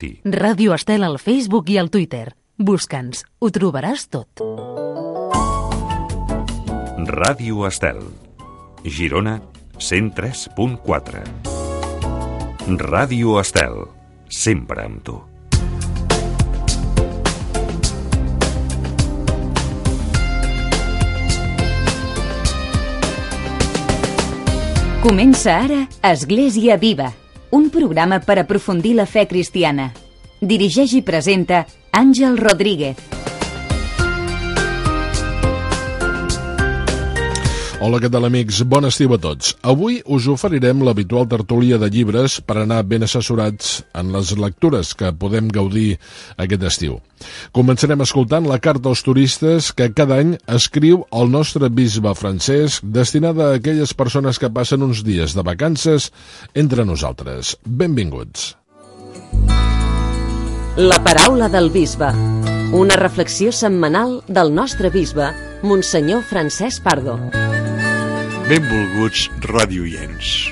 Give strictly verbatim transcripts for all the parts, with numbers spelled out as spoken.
Ràdio Estel al Facebook i al Twitter. Busca'ns, ho trobaràs tot. Ràdio Estel, Girona, cent tres punt quatre. Ràdio Estel, sempre amb tu. Comença ara Església Viva, un programa per aprofundir la fe cristiana. Dirigeix i presenta Àngel Rodríguez. Hola, què tal, amics? Bon estiu a tots. Avui us oferirem l'habitual tertúlia de llibres per anar ben assessorats en les lectures que podem gaudir aquest estiu. Començarem escoltant la carta als turistes que cada any escriu el nostre bisbe Francesc, destinada a aquelles persones que passen uns dies de vacances entre nosaltres. Benvinguts. La paraula del bisbe. Una reflexió setmanal del nostre bisbe, Monsenyor Francesc Pardo. Benvolguts radioients.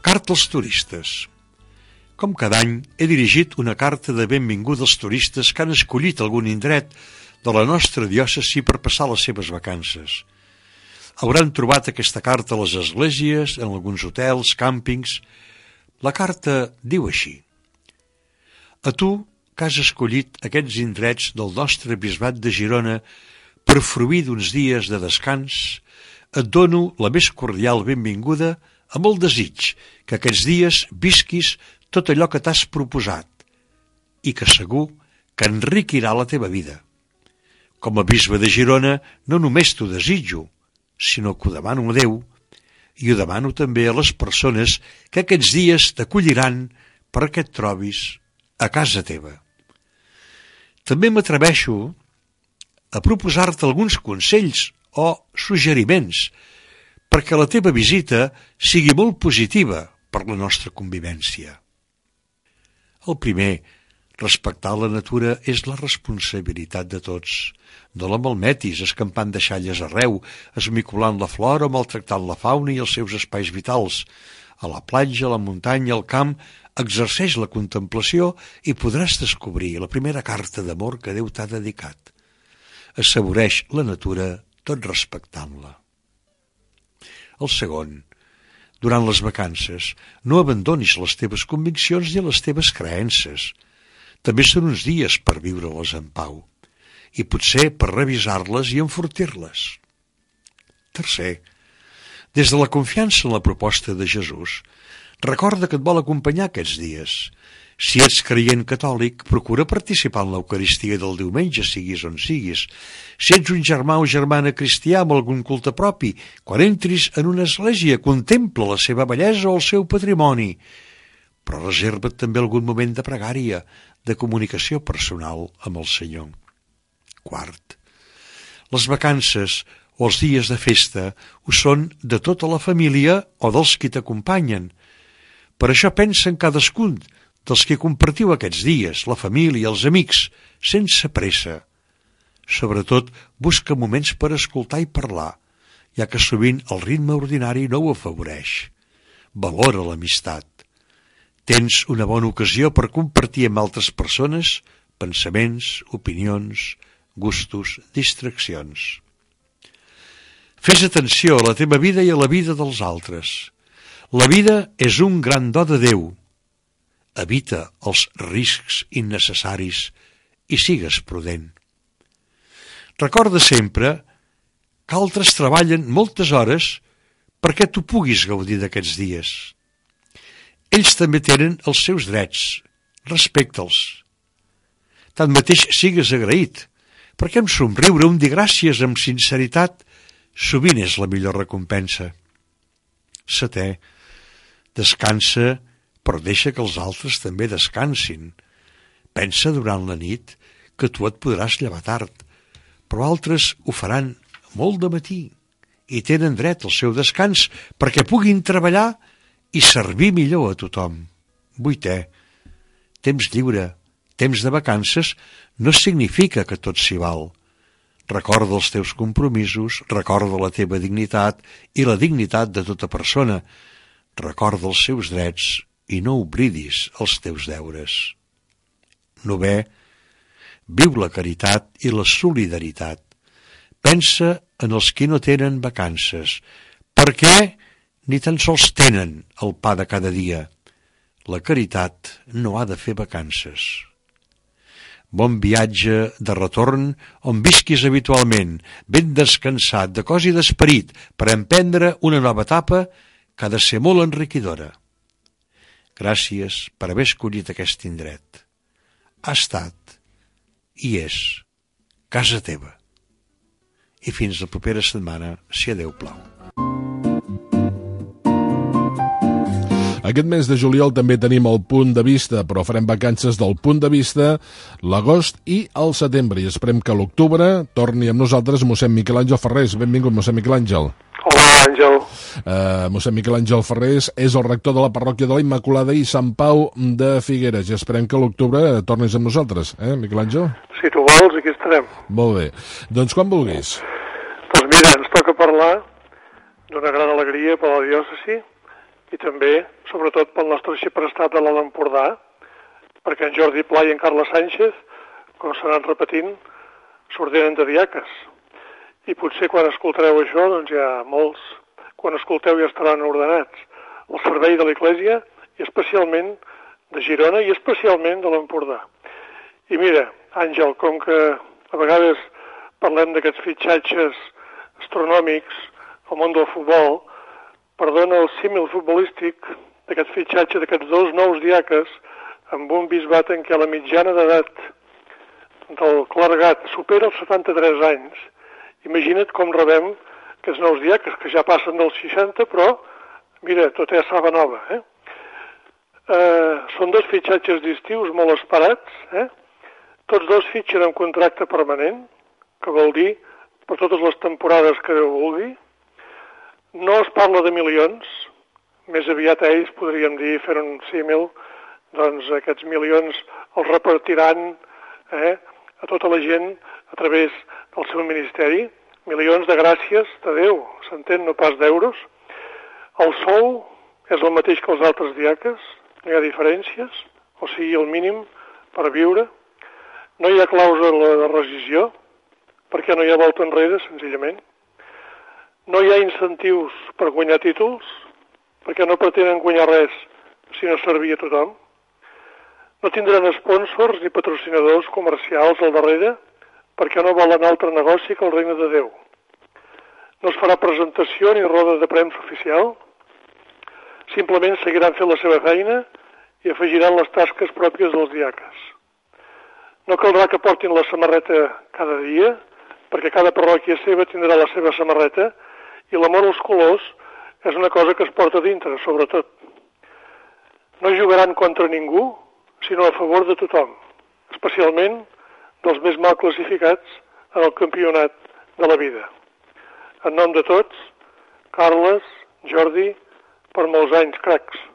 Carta als turistes. Com cada any, he dirigit una carta de benvinguda als turistes que han escollit algun indret de la nostra diòcesi per passar les seves vacances. Hauran trobat aquesta carta a les esglésies, en alguns hotels, càmpings. La carta diu així: a tu, que has escollit aquests indrets del nostre bisbat de Girona per fruir d'uns dies de descans, et dono la més cordial benvinguda amb el desig que aquests dies visquis tot allò que t'has proposat i que segur que enriquirà la teva vida. Com a bisbe de Girona no només t'ho desitjo, sinó que ho demano a Déu i ho demano també a les persones que aquests dies t'acolliran perquè et trobis a casa teva. També m'atreveixo a proposar-te alguns consells o suggeriments perquè la teva visita sigui molt positiva per la nostra convivència. El primer, respectar la natura és la responsabilitat de tots. No la malmetis escampant deixalles arreu, esmicolant la flora o maltractant la fauna i els seus espais vitals. A la platja, a la muntanya, al camp, exerceix la contemplació i podràs descobrir la primera carta d'amor que Déu t'ha dedicat. Assaboreix la natura tot respectant-la. El segon, durant les vacances, no abandonis les teves conviccions ni les teves creences. També són uns dies per viure-les en pau, i potser per revisar-les i enfortir-les. Tercer, des de la confiança en la proposta de Jesús, recorda que et vol acompanyar aquests dies. Si ets creient catòlic, procura participar en l'Eucaristia del diumenge, siguis on siguis. Si ets un germà o germana cristià amb algun culte propi, quan entris en una església, contempla la seva bellesa o el seu patrimoni. Però reserva't també algun moment de pregària, de comunicació personal amb el Senyor. Quart, les vacances o els dies de festa ho són de tota la família o dels qui t'acompanyen. Per això pensa en cadascun dels que compartiu aquests dies, la família i els amics, sense pressa. Sobretot, busca moments per escoltar i parlar, ja que sovint el ritme ordinari no ho afavoreix. Valora l'amistat. Tens una bona ocasió per compartir amb altres persones pensaments, opinions, gustos, distraccions. Fes atenció a la teva vida i a la vida dels altres. La vida és un gran do de Déu. Evita els riscs innecessaris i sigues prudent. Recorda sempre que altres treballen moltes hores perquè tu puguis gaudir d'aquests dies. Ells també tenen els seus drets, respecta'ls. Tanmateix sigues agraït, perquè amb somriure, un dir gràcies amb sinceritat, sovint és la millor recompensa. Setè, descansa, però deixa que els altres també descansin. Pensa durant la nit que tu et podràs llevar tard, però altres ho faran molt de matí i tenen dret al seu descans perquè puguin treballar i servir millor a tothom. Vuitè, temps lliure, temps de vacances no significa que tot s'hi val. Recorda els teus compromisos, recorda la teva dignitat i la dignitat de tota persona. Recorda els seus drets i no oblidis els teus deures. Novè, viu la caritat i la solidaritat. Pensa en els qui no tenen vacances, perquè ni tan sols tenen el pa de cada dia. La caritat no ha de fer vacances. Bon viatge de retorn on visquis habitualment, ben descansat de cos i d'esperit, per emprendre una nova etapa que ha de ser molt enriquidora. Gràcies per haver escollit aquest indret. Ha estat i és casa teva. I fins la propera setmana, si a Déu plau. Aquest mes de juliol també tenim el Punt de Vista, però farem vacances del Punt de Vista l'agost i el setembre. I esperem que a l'octubre torni amb nosaltres mossèn Miquel Àngel Ferrés. Benvingut, mossèn Miquel Àngel. Hola, Àngel. Uh, mossèn Miquel Àngel Ferrés és el rector de la parròquia de la Immaculada i Sant Pau de Figueres. I esperem que a l'octubre tornis amb nosaltres, eh, Miquel Àngel? Si tu vols, aquí estarem. Molt bé. Doncs quan vulguis. Doncs mira, ens toca parlar d'una gran alegria per a la diòcesi i també, sobretot, pel nostre arxiprestat de l'Alt Empordà, perquè en Jordi Pla i en Carles Sánchez, com s'han anat repetint, s'ordenen de diaques. I potser quan escoltareu això, doncs ja molts, quan escolteu ja estaran ordenats al servei de l'Església i especialment de Girona i especialment de l'Empordà. I mira, Àngel, com que a vegades parlem d'aquests fitxatges astronòmics al món del futbol, perdona el símil futbolístic d'aquest fitxatge d'aquests dos nous diaques amb un bisbat en què la mitjana d'edat del clergat supera els setanta-tres anys. Imagina't com rebem aquests nous diaques, que ja passen dels seixanta, però, mira, tot és saba nova, eh? eh són dos fitxatges d'estius molt esperats, eh? Tots dos fitxen amb contracte permanent, que vol dir per totes les temporades que Déu vulgui. No es parla de milions, més aviat ells podríem dir, fer un símil, doncs aquests milions els repartiran eh, a tota la gent a través del seu ministeri, milions de gràcies de Déu, s'entén, no pas d'euros. El sou és el mateix que els altres diaques, no hi ha diferències, o sigui, el mínim per viure. No hi ha clàusula de rescissió, perquè no hi ha volta enrere, senzillament. No hi ha incentius per guanyar títols, perquè no pretenen guanyar res si no servir a tothom. No tindran sponsors ni patrocinadors comercials al darrere, perquè no volen altre negoci que el regne de Déu. No es farà presentació ni roda de premsa oficial, simplement seguiran fent la seva feina i afegiran les tasques pròpies dels diaques. No caldrà que portin la samarreta cada dia, perquè cada parròquia seva tindrà la seva samarreta i l'amor als colors és una cosa que es porta dintre, sobretot. No jugaran contra ningú, sinó a favor de tothom, especialment dels més mal classificats en el campionat de la vida. En nom de tots, Carles, Jordi, per molts anys, cracs.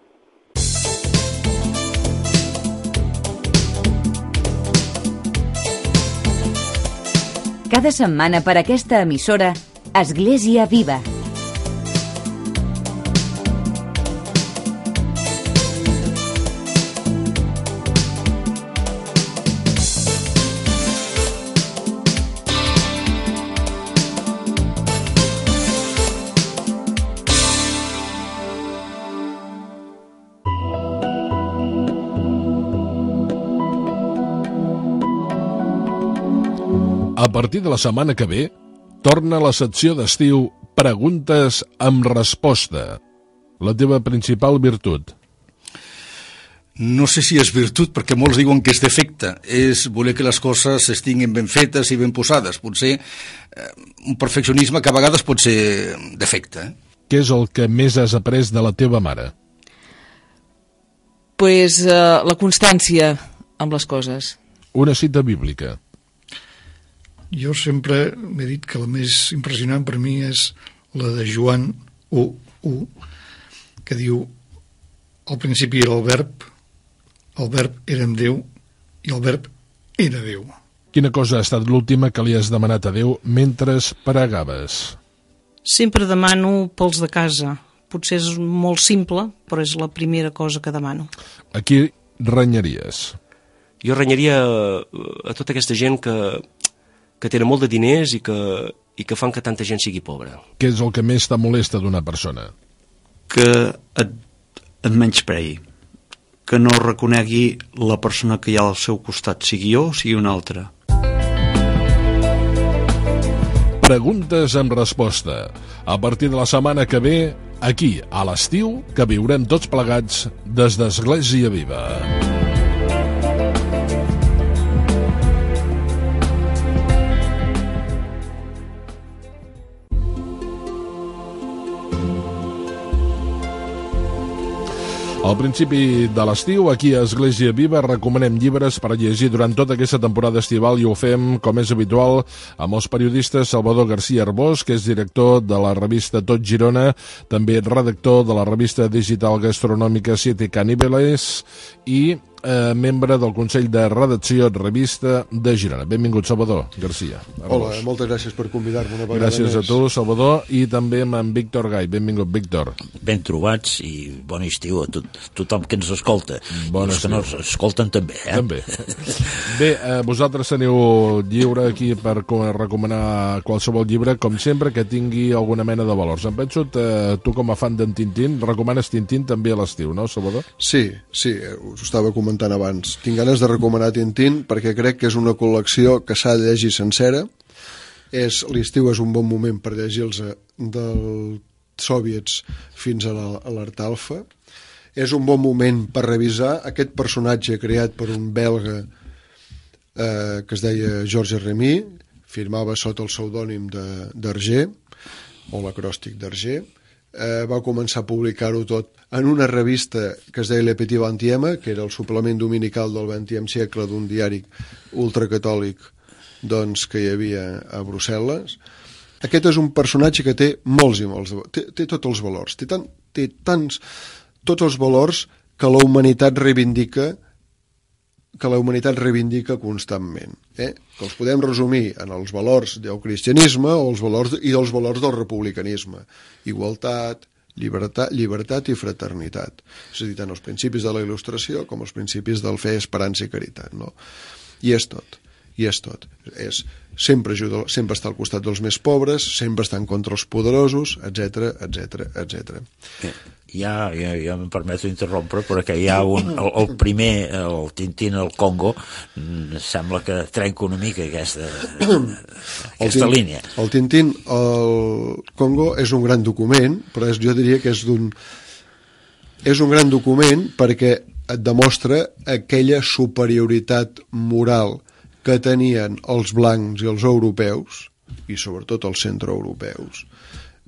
Cada setmana per aquesta emissora, Església Viva. A partir de la setmana que ve, torna la secció d'estiu Preguntes amb resposta. La teva principal virtut? No sé si és virtut, perquè molts diuen que és defecte. És voler que les coses estiguin ben fetes i ben posades. Potser eh, un perfeccionisme que a vegades pot ser defecte. Eh? Què és el que més has après de la teva mare? Pues uh, la constància amb les coses. Una cita bíblica. Jo sempre m'he dit que la més impressionant per mi és la de Joan u u, que diu: al principi era el verb, el verb era amb Déu i el verb era Déu. Quina cosa ha estat l'última que li has demanat a Déu mentre pregaves? Sempre demano pels de casa, potser és molt simple, però és la primera cosa que demano. A qui renyaries? Jo renyaria a tota aquesta gent que, que tenen molt de diners i que, i que fan que tanta gent sigui pobra. Què és el que més te molesta d'una persona? Que et, et menysprei, que no reconegui la persona que hi ha al seu costat, sigui jo o sigui una altra. Preguntes amb resposta. A partir de la setmana que ve, aquí, a l'estiu, que viurem tots plegats des d'Església Viva. Al principi de l'estiu, aquí a Església Viva, recomanem llibres per llegir durant tota aquesta temporada estival i ho fem, com és habitual, amb els periodistes Salvador García Arbós, que és director de la revista Tot Girona, també redactor de la revista digital gastronòmica Siete Caníbales i eh, membre del Consell de Redacció Revista de Girona. Benvingut, Salvador García Arbós. Hola, moltes gràcies per convidar-me una vegada gràcies més. Gràcies a tu, Salvador, i també amb en Víctor Gai. Benvingut, Víctor. Ben trobats i bon estiu a tot, tothom que ens escolta. Bon I els que no ens escolten també, eh? També. Bé, eh, vosaltres teniu lliure aquí per recomanar qualsevol llibre, com sempre, que tingui alguna mena de valors. Em penso, eh, tu com a fan d'en Tintín, recomanes Tintín també a l'estiu, no, Salvador? Sí, sí, us ho estava comentant abans. Tinc ganes de recomanar Tintín perquè crec que és una col·lecció que s'ha de llegir sencera. És, l'estiu és un bon moment per llegir-los dels soviets fins a l'Art Alfa. És un bon moment per revisar aquest personatge creat per un belga eh, que es deia Georges Remy, firmava sota el pseudònim d'Hergé, o l'acròstic d'Hergé. Eh, va començar a publicar-ho tot en una revista que es deia Le Petit Vingtième, que era el suplement dominical del vingtième siècle d'un diari ultracatòlic doncs, que hi havia a Brussel·les. Aquest és un personatge que té molts i molts, té, té tots els valors, té, tan, té tants, tots els valors que la humanitat reivindica que la humanitat reivindica constantment, eh? Que els podem resumir en els valors del cristianisme o els valors, i els valors del republicanisme. Igualtat, llibertat, llibertat i fraternitat. És a dir, tant els principis de la il·lustració com els principis del fe, esperança i caritat, no? I és tot, i és tot. És, sempre, ajuda, sempre està al costat dels més pobres, sempre està en contra els poderosos, etcètera, etcètera, etcètera. Ja, ja, ja em permeto interrompre, perquè hi ha un, el, el primer, el Tintín al Congo, sembla que trenca una mica aquesta, aquesta el línia. El Tintín al Congo és un gran document, però és, jo diria que és d'un... És un gran document perquè et demostra aquella superioritat moral que tenien els blancs i els europeus, i sobretot els centroeuropeus,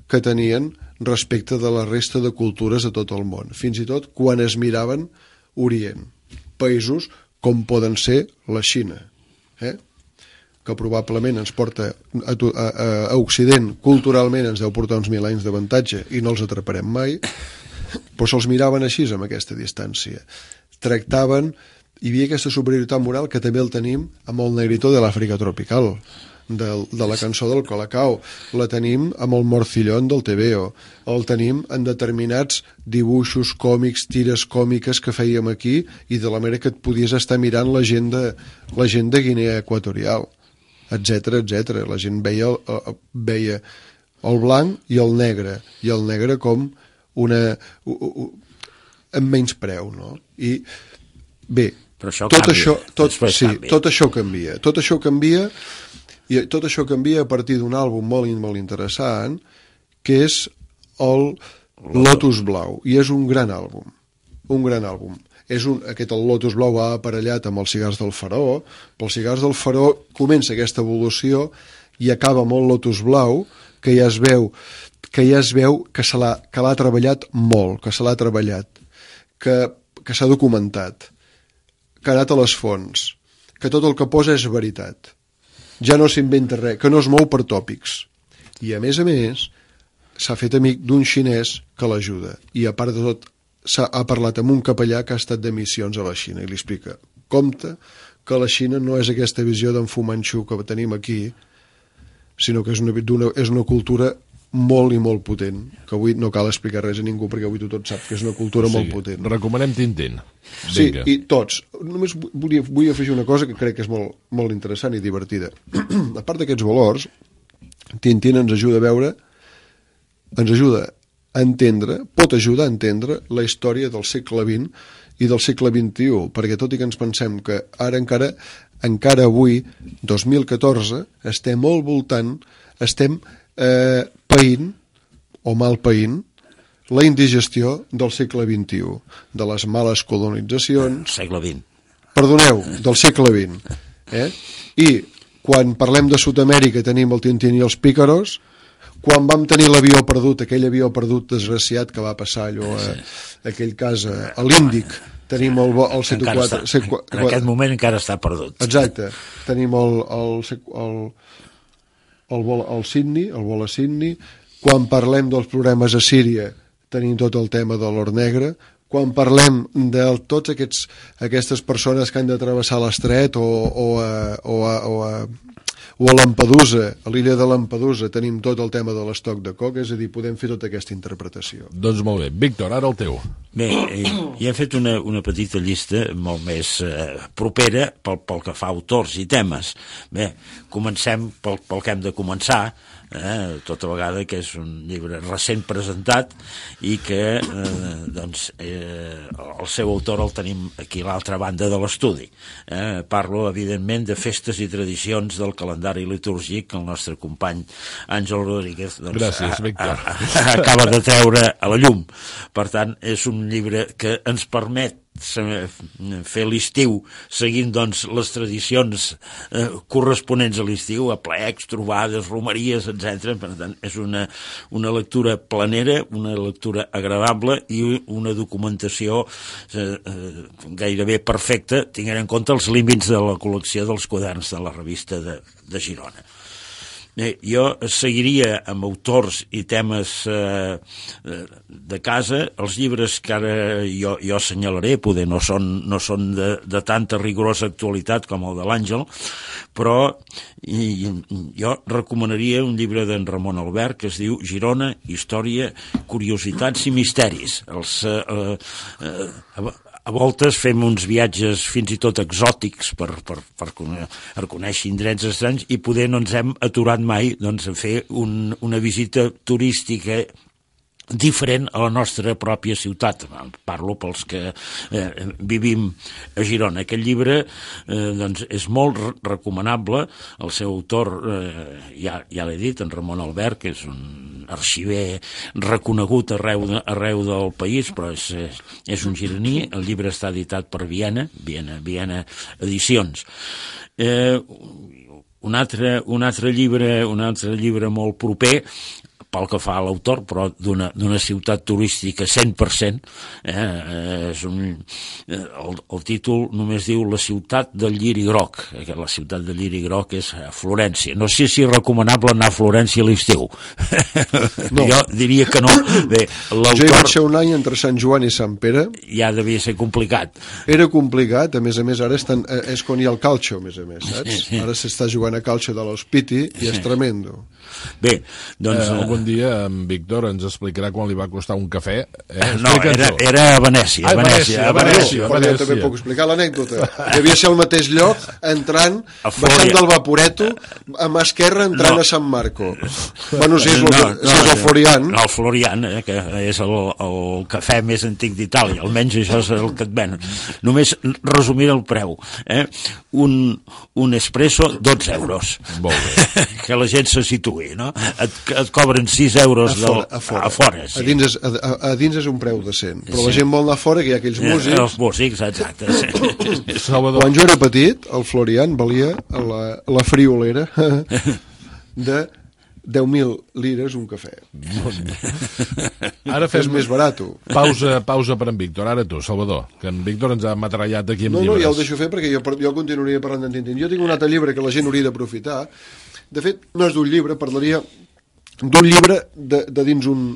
que tenien respecte de la resta de cultures de tot el món, fins i tot quan es miraven Orient, països com poden ser la Xina, eh? Que probablement ens porta a, a, a Occident, culturalment ens deu portar uns mil anys d'avantatge i no els atraparem mai, però se'ls miraven així amb aquesta distància. Tractaven, hi havia aquesta superioritat moral que també el tenim amb el negrito de l'Àfrica tropical, de, de la cançó del Colacao, la tenim amb el Morcillón del Tebeo, el tenim en determinats dibuixos còmics, tires còmiques que fèiem aquí, i de la manera que et podies estar mirant la gent de, la gent de Guinea Equatorial, etcètera, etcètera. La gent veia, veia el blanc i el negre, i el negre com una... amb menys preu, no? I bé, però això tot canvia. això, tot, sí, canvia. tot això canvia. Tot això canvia I tot això canvia a partir d'un àlbum molt, molt interessant, que és el Lotus Blau, i és un gran àlbum, un gran àlbum. És un, aquest el Lotus Blau va aparellat amb els cigars del Faraó, però els cigars del Faraó comença aquesta evolució i acaba amb el Lotus Blau, que ja es veu que ja es veu que se l'ha que l'ha treballat molt, que se l'ha treballat, que, que s'ha documentat, que ha anat a les fonts, que tot el que posa és veritat. Ja no s'inventa res, que no es mou per tòpics. I a més a més, s'ha fet amic d'un xinès que l'ajuda. I a part de tot, s'ha ha parlat amb un capellà que ha estat de missions a la Xina i li explica, compte que la Xina no és aquesta visió d'en Fu Manchu que tenim aquí, sinó que és una, una, és una cultura molt i molt potent, que avui no cal explicar res a ningú perquè avui tothom sap que és una cultura o sigui, molt potent. Recomanem Tintín. Sí, i tots. Només volia, vull afegir una cosa que crec que és molt, molt interessant i divertida. A part d'aquests valors, Tintín ens ajuda a veure, ens ajuda a entendre, pot ajudar a entendre la història del segle vint i del segle vint-i-u, perquè tot i que ens pensem que ara encara, encara avui, dos mil catorze, estem molt voltant, estem eh, païnt, o mal païnt, la indigestió del segle vint-i-u, de les males colonitzacions... Segle vint. Perdoneu, del segle vint. Eh? I quan parlem de Sud-amèrica tenim el Tintín i els pícaros, quan vam tenir l'avió perdut, aquell avió perdut desgraciat que va passar allò, a, aquell cas a, a l'Índic, tenim el, el C quatre... Està, en aquest moment encara està perdut. Exacte. Tenim el, el, el, el, vol, el Sydney, el vol a Sydney. Quan parlem dels problemes a Síria, tenim tot el tema de l'or negre. Quan parlem de tots aquests, aquestes persones que han de travessar l'estret o, o, a, o, a, o, a, o a Lampedusa, a l'illa de Lampedusa, tenim tot el tema de l'estoc de coca, és a dir, podem fer tota aquesta interpretació. Doncs molt bé. Víctor, ara el teu. Bé, eh, ja he fet una, una petita llista molt més eh, propera pel, pel que fa a autors i temes. Bé, comencem pel, pel que hem de començar, eh, tota vegada que és un llibre recent presentat i que eh, doncs, eh, el seu autor el tenim aquí a l'altra banda de l'estudi. Eh, parlo, evidentment, de festes i tradicions del calendari litúrgic que el nostre company Àngel Rodríguez doncs, Gràcies, Víctor. A, a, acaba de treure a la llum. Per tant, és un llibre que ens permet fer l'estiu seguint doncs les tradicions eh, corresponents a l'estiu, aplecs, trobades, romeries, etcètera. Per tant, és una, una lectura planera, una lectura agradable i una documentació eh, eh, gairebé perfecta, tenint en compte els límits de la col·lecció dels quaderns de la revista de, de Girona. Eh, jo seguiria amb autors i temes eh, de casa. Els llibres que ara jo, jo assenyalaré poder no són, no són de, de tanta rigorosa actualitat com el de l'Àngel, però i, jo recomanaria un llibre d'en Ramon Albert que es diu Girona, història, curiositats i misteris. Els eh, eh, a voltes fem uns viatges fins i tot exòtics per, per, per, per conèixer indrets estranys i poder no ens hem aturat mai doncs, a fer un, una visita turística diferent a la nostra pròpia ciutat. Parlo pels que eh, vivim a Girona. Aquest llibre eh, doncs és molt recomanable. El seu autor, eh, ja, ja l'he dit, en Ramon Albert, que és un arxiver reconegut arreu, de, arreu del país, però és, és un gironí. El llibre està editat per Viena, Viena, Viena Edicions. Eh, un, altre, un, altre llibre, un altre llibre molt proper, pel que fa a l'autor, però d'una d'una ciutat turística cent per cent, eh, és un, el, el títol només diu La ciutat del lliri groc, que la ciutat del lliri groc és a Florència. No sé si és recomanable anar a Florència a l'estiu. No. Jo diria que no. Bé, jo hi vaig ser un any entre Sant Joan i Sant Pere. Ja devia ser complicat. Era complicat, a més a més, ara estan, és quan hi ha el calcio, a més a més, saps? Ara s'està jugant a calcio de l'Hospiti i és tremendo. Bé, doncs... Eh, algun dia en Víctor ens explicarà quan li va costar un cafè. Eh? No, era, era a Venècia. Ah, a Venècia, a Venècia. A Venècia. Jo també puc explicar l'anècdota. Devia ser al mateix lloc, entrant, baixant del Vaporeto, a mà esquerra, entrant no. a Sant Marco. Bueno, si és, no, no, si és el Florian. No, el Florian, eh, que és el, el cafè més antic d'Itàlia. Almenys això és el que et venen. Només resumir el preu. Eh? Un, un espresso, dotze euros. Molt bé. Que la gent se situï, no? Et, et cobren sis euros a fora, del, a fora. A fora sí. a, dins és, a, a dins és un preu decent, però sí. La gent vol anar a fora, que hi ha aquells músics. Els músics, exacte. Sí. Salvador. Quan jo era petit, el Florian valia la, la friolera de deu mil lires un cafè. Ara fes és més barat. Pausa, pausa per en Víctor. Ara tu, Salvador, que en Víctor ens ha matrallat aquí amb no, llibres. No, ja ho deixo fer perquè jo, jo continuaria parlant d'en Tintín. Jo tinc un altre llibre que la gent hauria d'aprofitar. De fet, no és d'un llibre, parlaria d'un llibre de, de dins un,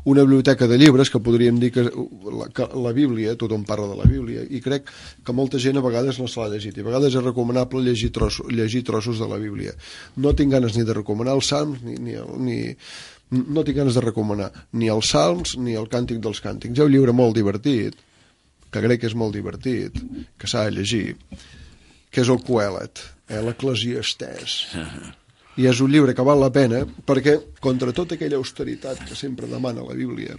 una biblioteca de llibres, que podríem dir que la, que la Bíblia, tothom parla de la Bíblia, i crec que molta gent a vegades no se l'ha llegit, i a vegades és recomanable llegir, tros, llegir trossos de la Bíblia. No tinc ganes ni de recomanar els Salms, ni, ni, ni, no tinc ganes de recomanar ni els Salms ni el Càntic dels Càntics. Hi ha un llibre molt divertit, que crec que és molt divertit, que s'ha de llegir, que és el Coelet, eh, l'Eclesiastès. I és un llibre que val la pena perquè, contra tota aquella austeritat que sempre demana la Bíblia,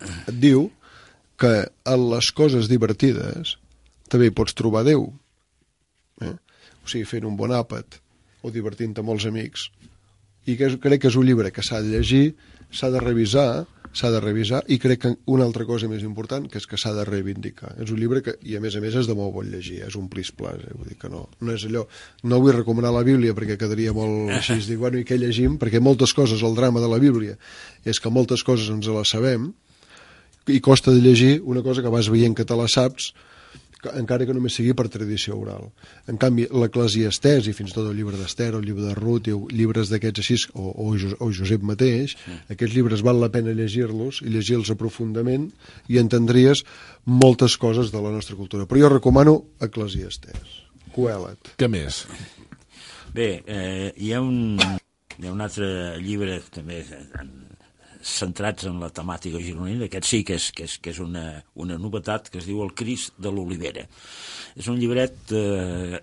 et diu que en les coses divertides també hi pots trobar Déu. Eh? O sigui, fent un bon àpat o divertint-te amb els amics. I que és, crec que és un llibre que s'ha de llegir, s'ha de revisar, s'ha de revisar, i crec que una altra cosa més important, que és que s'ha de reivindicar. És un llibre que, i a més a més, és de molt bon llegir, és un plis-plas, eh? Vull dir que no, no és allò... No vull recomanar la Bíblia perquè quedaria molt així, dic, bueno, i què llegim? Perquè moltes coses, el drama de la Bíblia, és que moltes coses ens les sabem, i costa de llegir una cosa que vas veient que te la saps, encara que només sigui per tradició oral. En canvi, l'Eclesiastès, i fins i tot el llibre d'Ester, el llibre de Ruth, i llibres d'aquests així, o, o, o Josep mateix, sí. Aquests llibres val la pena llegir-los, i llegir-los aprofundament, i entendries moltes coses de la nostra cultura. Però jo recomano Eclesiastès. Coelet. Què més? Bé, eh, hi ha un, hi ha un altre llibre també en, centrats en la temàtica gironina, aquest sí que és, que és, que és una, una novetat, que es diu El Crist de l'Olivera. És un llibret eh,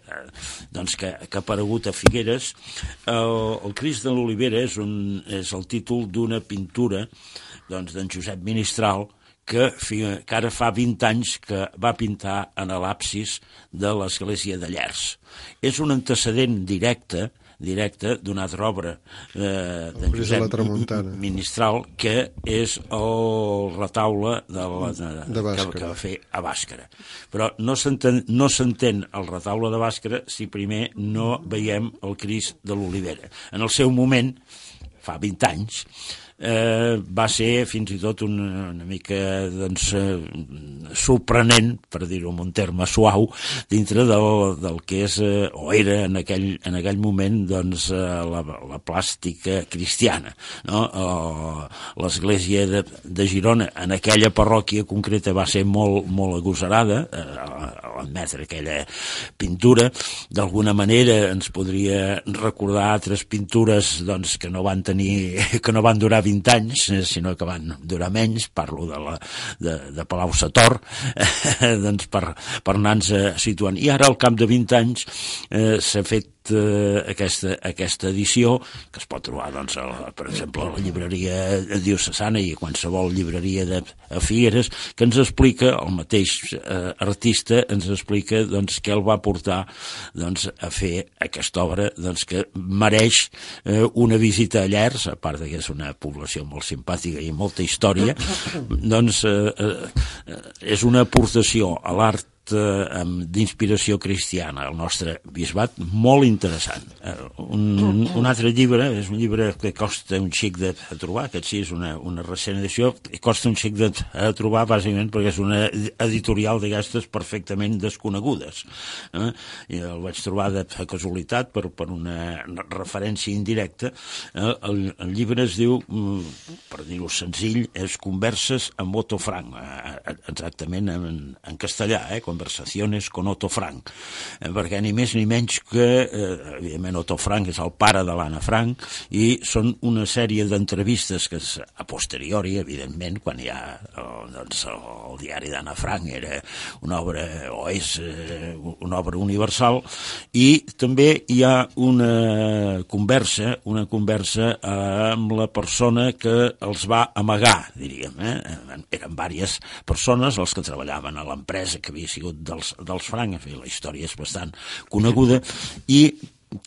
doncs que, que ha aparegut a Figueres. El, el Crist de l'Olivera és, un, és el títol d'una pintura doncs, d'en Josep Ministral, que, que ara fa vint anys que va pintar en l'absis de l'església de Llers. És un antecedent directe directe d'una altra obra eh, d'en Josep Ministral, que és el retaule de la, de, de que, que va fer a Bàscara. Però no s'entén no s'entén el retaule de Bàscara si primer no veiem el Crist de l'Olivera. En el seu moment, fa vint anys, eh, va ser fins i tot una, una mica doncs, eh, sorprenent, per dir-ho en un terme suau, dintre del, del que és, eh, o era en aquell, en aquell moment doncs, eh, la, la plàstica cristiana. No? L'església de, de Girona, en aquella parròquia concreta, va ser molt, molt agosarada, eh, a l'admetre aquella pintura. D'alguna manera ens podria recordar altres pintures doncs, que no van tenir, que no van durar vint anys, sinó que van durar menys. Parlo de, la, de, de Palau-sator, eh, doncs per, per anar-nos situant. I ara, al cap de vint anys, eh, s'ha fet eh, aquesta, aquesta edició, que es pot trobar, doncs, a, per exemple, a la llibreria diocesana i a qualsevol llibreria de a Figueres, que ens explica, el mateix eh, artista ens explica doncs, què el va portar doncs, a fer aquesta obra doncs, que mereix eh, una visita a Llers, a part que és una població molt simpàtica i molta història, doncs eh, eh, és una aportació a l'art d'inspiració cristiana al nostre bisbat molt interessant. Un, un altre llibre, és un llibre que costa un xic de trobar, aquest sí és una, una recent edició, i costa un xic de trobar bàsicament perquè és una editorial d'aquestes perfectament desconegudes. Eh? I el vaig trobar de casualitat per, per una referència indirecta. Eh? El, el llibre es diu, per dir-ho senzill, és Converses amb Otto Frank, exactament en, en castellà, eh? Conversaciones con Otto Frank, eh, perquè ni més ni menys que, eh, evidentment, Otto Frank és el pare de l'Anna Frank, i són una sèrie d'entrevistes que és a posteriori, evidentment, quan hi ha el, doncs, el diari d'Anna Frank era una obra, o és eh, una obra universal, i també hi ha una conversa, una conversa amb la persona que els va amagar, diríem, eh? Eren diverses persones els que treballaven a l'empresa que havia sigut dels, dels Frank, en fi, la història és bastant coneguda, i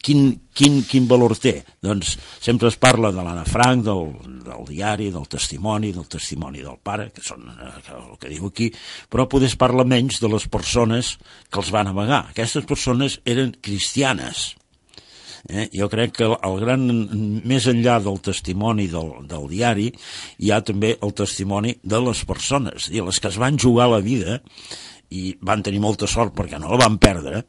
quin, quin, quin valor té? Doncs sempre es parla de l'Anna Frank, del, del diari, del testimoni, del testimoni del pare, que són eh, el que diu aquí, però poder es parla menys de les persones que els van amagar. Aquestes persones eren cristianes. Eh? Jo crec que el gran, més enllà del testimoni del, del diari, hi ha també el testimoni de les persones, i les que es van jugar la vida i van tenir molta sort perquè no la van perdre,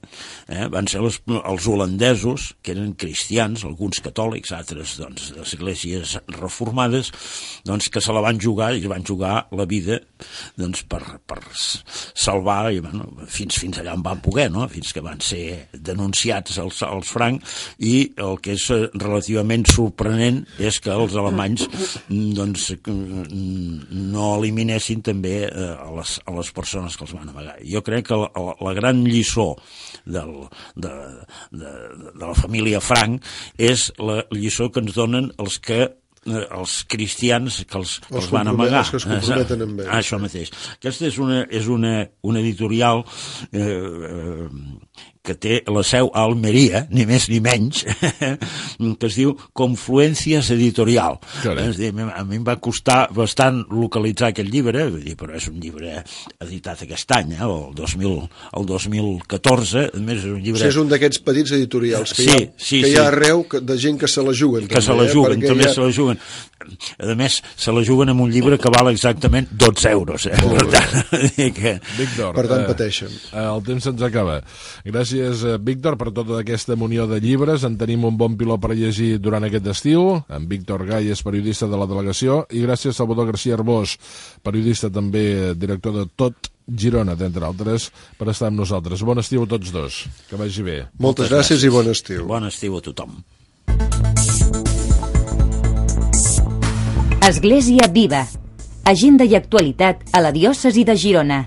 eh? Van ser els, els holandesos, que eren cristians, alguns catòlics, altres doncs, d'esglésies reformades, doncs, que se la van jugar i van jugar la vida doncs, per, per salvar i, bueno, fins, fins allà on van poder, no? Fins que van ser denunciats els, els francs, i el que és relativament sorprenent és que els alemanys doncs, no eliminessin també a les, a les persones que els van amagar. Jo crec que la, la gran lliçó del, de, de, de la família Frank és la lliçó que ens donen els que els cristians que els, que els, els van amagar. Els que es comprometen amb ells. Això mateix. Aquesta és una, és una, una editorial eh, eh, que té la seu a Almeria, ni més ni menys, que es diu Confluencias Editorial. És dir, a mi em va costar bastant localitzar aquest llibre, vull dir, però és un llibre editat aquest any, eh, el, dos mil, el dos mil catorze, a més és un llibre... O sigui, és un d'aquests petits editorials que, sí, hi, ha, sí, que sí. hi ha arreu de gent que se la juguen. Que també, se la juguen, eh? també ha... se la juguen. A més, se la juguen amb un llibre que val exactament dotze euros. Eh? Per tant, que... Víctor, per tant, eh, pateixen. Eh, el temps se'ns acaba. Gràcies, Víctor, per tota aquesta munió de llibres. En tenim un bon piló per llegir durant aquest estiu. En Víctor Gai és periodista de la delegació. I gràcies a Salvador García Arbós, periodista també, director de Tot Girona, d'entre altres, per estar amb nosaltres. Bon estiu a tots dos. Que vagi bé. Moltes, Moltes gràcies, gràcies i bon estiu. Bon estiu a tothom. Església Viva. Agenda i actualitat a la diòcesi de Girona.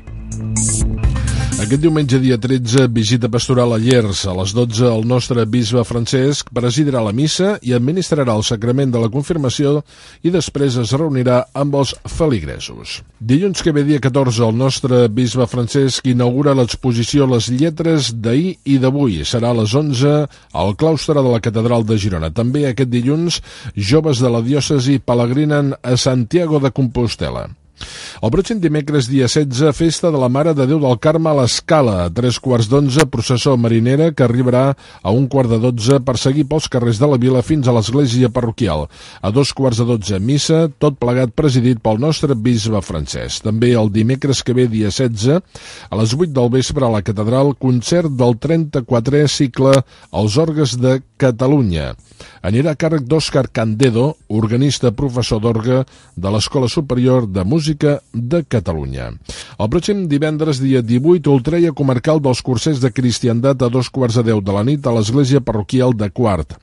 Aquest diumenge, dia tretze, visita pastoral a Llers. A les dotze, el nostre bisbe Francesc presidirà la missa i administrarà el sacrament de la confirmació i després es reunirà amb els feligresos. Dilluns que ve, dia catorze, el nostre bisbe Francesc inaugura l'exposició Les lletres d'ahir i d'avui. Serà a les onze al claustre de la Catedral de Girona. També aquest dilluns, joves de la diòcesi pelegrinen a Santiago de Compostela. El pròxim dimecres, dia setze, festa de la Mare de Déu del Carme a l'Escala. A tres quarts d'onze, processó marinera que arribarà a un quart de dotze per seguir pels carrers de la vila fins a l'església parroquial. A dos quarts de dotze, missa, tot plegat presidit pel nostre bisbe Francesc. També el dimecres que ve, dia setze, a les vuit del vespre a la catedral, concert del trenta-quatrè cicle Els Orgues de Catalunya. Anirà a càrrec d'Òscar Candedo, organista professor d'orgue de l'Escola Superior de Música de Catalunya. El pròxim divendres, dia divuit, ultreia comarcal dels cursers de cristiandat a dos quarts de deu de la nit a l'església parroquial de Quart.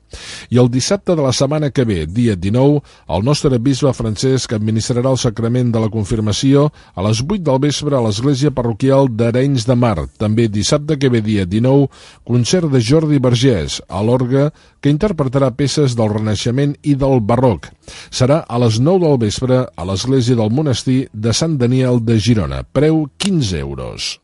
I el dissabte de la setmana que ve, dia dinou, el nostre bisbe Francesc administrarà el sacrament de la confirmació a les vuit del vespre a l'església parroquial d'Arenys de Mar. També dissabte que ve, dia dinou, concert de Jordi Vergés a l'orgue, que interpretarà peces del Renaixement i del Barroc. Serà a les nou del vespre a l'església del monestir de Sant Daniel de Girona. Preu quinze euros.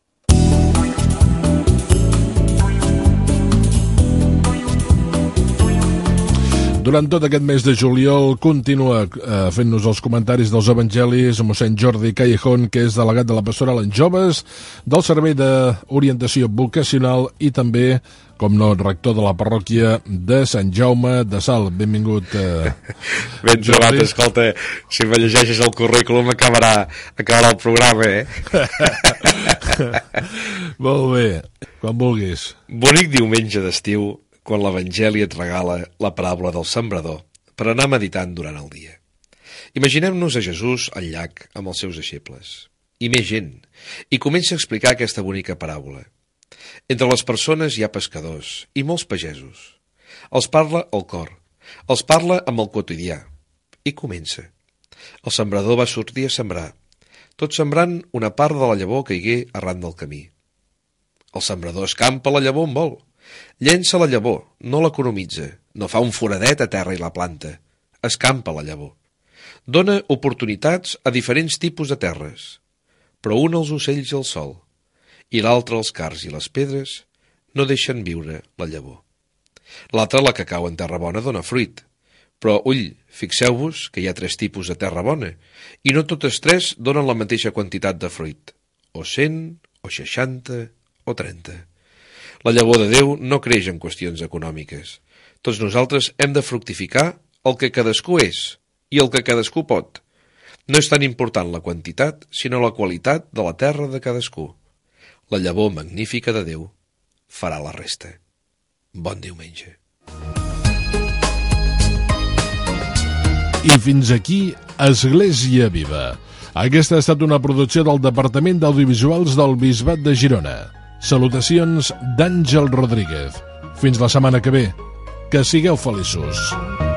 Durant tot aquest mes de juliol continua eh, fent-nos els comentaris dels evangelis mossèn Jordi Callejón, que és delegat de la pastoral en joves, del Servei d'Orientació Vocacional i també, com no, rector de la parròquia de Sant Jaume de Salt. Benvingut, eh, ben trobat, escolta, si me llegeixes el currículum acabarà, acabarà el programa, eh? Molt bé, quan vulguis. Bonic diumenge d'estiu, quan l'Evangeli et regala la paràbola del sembrador per anar meditant durant el dia. Imaginem-nos a Jesús al llac amb els seus deixebles, i més gent, i comença a explicar aquesta bonica paràbola. Entre les persones hi ha pescadors i molts pagesos. Els parla al cor, els parla amb el quotidià, i comença. El sembrador va sortir a sembrar, tot sembrant una part de la llavor que caigué arran del camí. El sembrador escampa la llavor on vol, llença la llavor, no l'economitza, no fa un foradet a terra i la planta, escampa la llavor. Dona oportunitats a diferents tipus de terres, però un als ocells i al sol, i l'altre als cars i les pedres no deixen viure la llavor. L'altra, la que cau en terra bona, dona fruit, però ull, fixeu-vos que hi ha tres tipus de terra bona, i no totes tres donen la mateixa quantitat de fruit, o cent, o seixanta, o trenta. La llavor de Déu no creix en qüestions econòmiques. Tots nosaltres hem de fructificar el que cadascú és i el que cadascú pot. No és tan important la quantitat, sinó la qualitat de la terra de cadascú. La llavor magnífica de Déu farà la resta. Bon diumenge. I fins aquí Església Viva. Aquesta ha estat una producció del Departament d'Audiovisuals del Bisbat de Girona. Salutacions d'Àngel Rodríguez. Fins la setmana que ve. Que sigueu feliços.